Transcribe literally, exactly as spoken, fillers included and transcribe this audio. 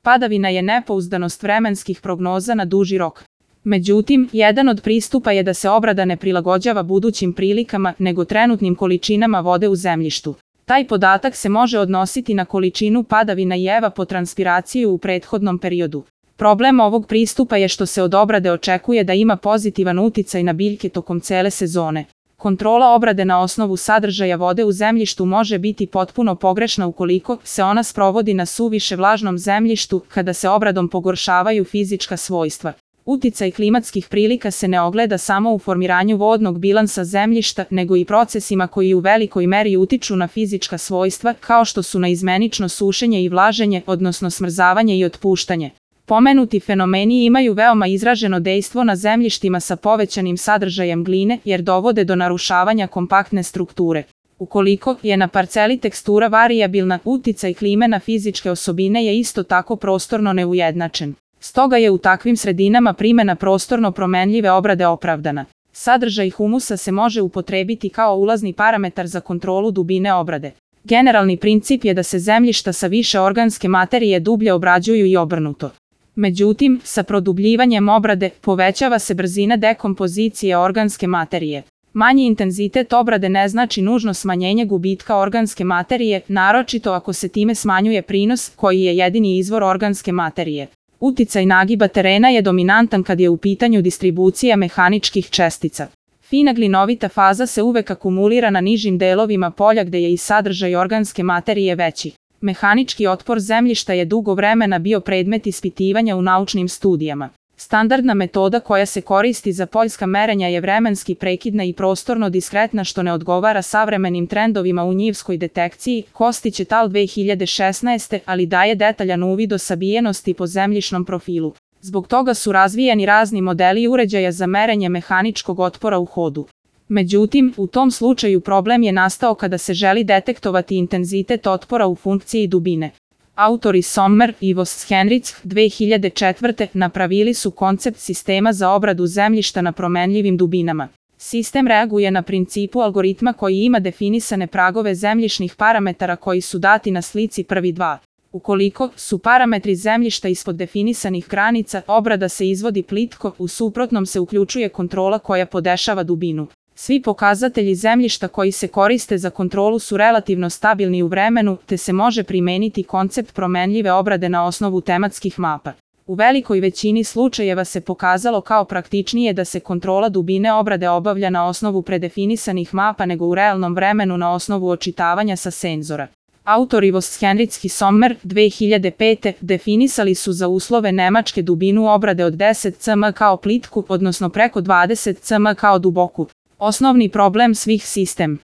Padavina je nepouzdanost vremenskih prognoza na duži rok. Međutim, jedan od pristupa je da se obrada ne prilagođava budućim prilikama, nego trenutnim količinama vode u zemljištu. Taj podatak se može odnositi na količinu padavina i evapotranspiraciju u prethodnom periodu. Problem ovog pristupa je što se od obrade očekuje da ima pozitivan uticaj na biljke tokom cele sezone. Kontrola obrade na osnovu sadržaja vode u zemljištu može biti potpuno pogrešna ukoliko se ona sprovodi na suviše vlažnom zemljištu, kada se obradom pogoršavaju fizička svojstva. Uticaj klimatskih prilika se ne ogleda samo u formiranju vodnog bilansa zemljišta, nego i procesima koji u velikoj meri utiču na fizička svojstva, kao što su naizmenično sušenje i vlaženje, odnosno smrzavanje i otpuštanje. Pomenuti fenomeni imaju veoma izraženo dejstvo na zemljištima sa povećanim sadržajem gline, jer dovode do narušavanja kompaktne strukture. Ukoliko je na parceli tekstura varijabilna, uticaj klime na fizičke osobine je isto tako prostorno neujednačen. Stoga je u takvim sredinama primjena prostorno promenljive obrade opravdana. Sadržaj humusa se može upotrebiti kao ulazni parametar za kontrolu dubine obrade. Generalni princip je da se zemljišta sa više organske materije dublje obrađuju i obrnuto. Međutim, sa produbljivanjem obrade povećava se brzina dekompozicije organske materije. Manji intenzitet obrade ne znači nužno smanjenje gubitka organske materije, naročito ako se time smanjuje prinos, koji je jedini izvor organske materije. Uticaj nagiba terena je dominantan kad je u pitanju distribucija mehaničkih čestica. Fina glinovita faza se uvek akumulira na nižim delovima polja gde je i sadržaj organske materije veći. Mehanički otpor zemljišta je dugo vremena bio predmet ispitivanja u naučnim studijama. Standardna metoda koja se koristi za poljska merenja je vremenski prekidna i prostorno diskretna, što ne odgovara savremenim trendovima u njivskoj detekciji, Kostić et al. dve hiljade šesnaeste. ali daje detaljan uvid o sabijenosti po zemljišnom profilu. Zbog toga su razvijeni razni modeli uređaja za merenje mehaničkog otpora u hodu. Međutim, u tom slučaju problem je nastao kada se želi detektovati intenzitet otpora u funkciji dubine. Autori Sommer i Voss-Henrichs dve hiljade četvrte. napravili su koncept sistema za obradu zemljišta na promenljivim dubinama. Sistem reaguje na principu algoritma koji ima definisane pragove zemljišnih parametara koji su dati na slici prvi dva. Ukoliko su parametri zemljišta ispod definisanih granica, obrada se izvodi plitko, u suprotnom se uključuje kontrola koja podešava dubinu. Svi pokazatelji zemljišta koji se koriste za kontrolu su relativno stabilni u vremenu, te se može primeniti koncept promenljive obrade na osnovu tematskih mapa. U velikoj većini slučajeva se pokazalo kao praktičnije da se kontrola dubine obrade obavlja na osnovu predefinisanih mapa nego u realnom vremenu na osnovu očitavanja sa senzora. Autori Voss-Henrichs i Sommer dve hiljade pete. definisali su za uslove Nemačke dubinu obrade od deset centimetara kao plitku, odnosno preko dvadeset centimetara kao duboku. Osnovni problem svih sistem